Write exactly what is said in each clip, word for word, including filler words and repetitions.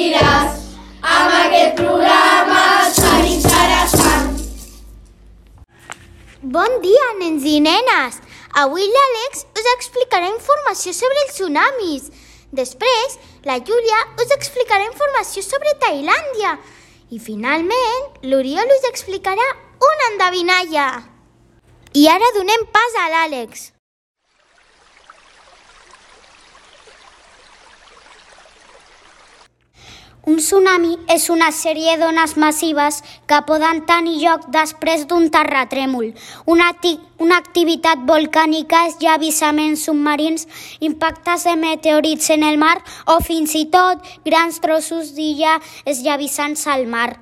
divertiràs amb aquest programa tan interessant. Bon dia, nens i nenes! Avui l'Àlex us explicarà informació sobre els tsunamis. Després, la Júlia us explicarà informació sobre Tailàndia. I finalment, l'Oriol us explicarà una endevinalla. I ara donem pas a l'Àlex. Un tsunami és una sèrie d'ones massives que poden tenir lloc després d'un terratrèmol. Una, una activitat volcànica, esllavaments submarins, impactes de meteorits en el mar o fins i tot grans trossos d'illa esllavissants al mar.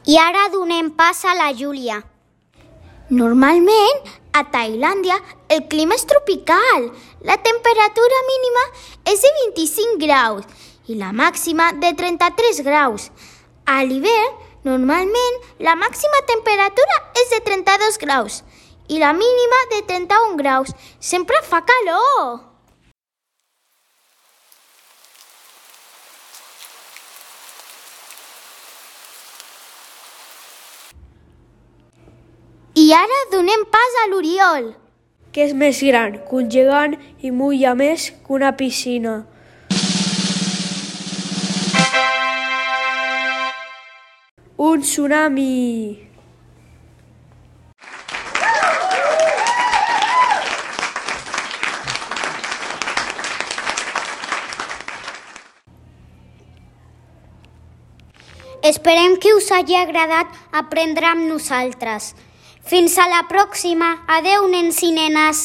I ara donem pas a la Júlia. Normalment, a Tailàndia, el clima és tropical. La temperatura mínima és de vint-i-cinc graus i la màxima de trenta-tres graus. A l'hivern, normalment, la màxima temperatura és de trenta-dos graus i la mínima de trenta-un graus. Sempre fa calor! I ara donem pas a l'Oriol. Què és més gran que un gegant i mulla més que una piscina? Un tsunami! Esperem que us hagi agradat aprendre amb nosaltres. Fins a la pròxima. Adeu, nens i nenes.